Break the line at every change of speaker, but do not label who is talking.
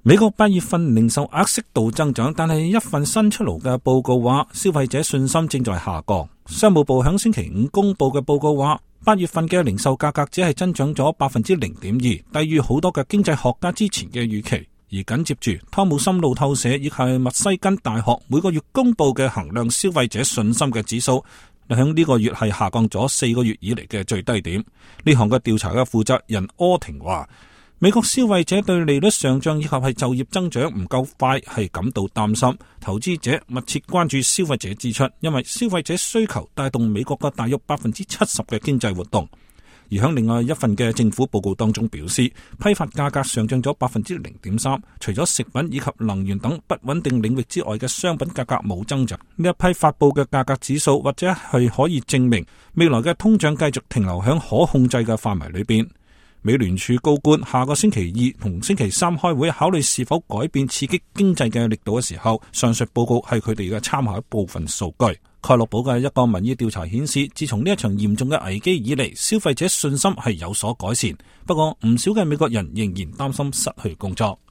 美國8月份零售額適度增長，但係一份新出爐嘅報告話，消費者信心正在下降。商務部響星期五公布嘅報告話，8月份嘅零售價格只係增長咗 0.2%， 低於好多嘅經濟學家之前嘅預期。而緊接住，湯姆森路透社以及密西根大學每個月公布嘅衡量消費者信心嘅指數，響呢個月係下降咗4個月以嚟嘅最低點。呢項嘅調查嘅負責人柯廷話，美國消費者對利率上漲以及係就業增長唔夠快係感到擔心，投資者密切關注消費者支出，因為消費者需求帶動美國嘅大約 70% 嘅經濟活動。而喺另外一份嘅政府報告當中表示，批發價格上漲咗 0.3%， 除咗食品以及能源等不穩定領域之外嘅商品價格冇增長。呢一批發佈嘅價格指數或者係可以證明未來嘅通脹繼續停留喺可控制嘅範圍裏邊。美聯儲高官下個星期二同星期三開會考慮是否改變刺激經濟嘅力度嘅時候，上述報告係佢哋嘅參考一部分數據。蓋洛普嘅一個民意調查顯示，自從呢一場嚴重嘅危機以嚟，消費者信心係有所改善，不過唔少嘅美國人仍然擔心失去工作。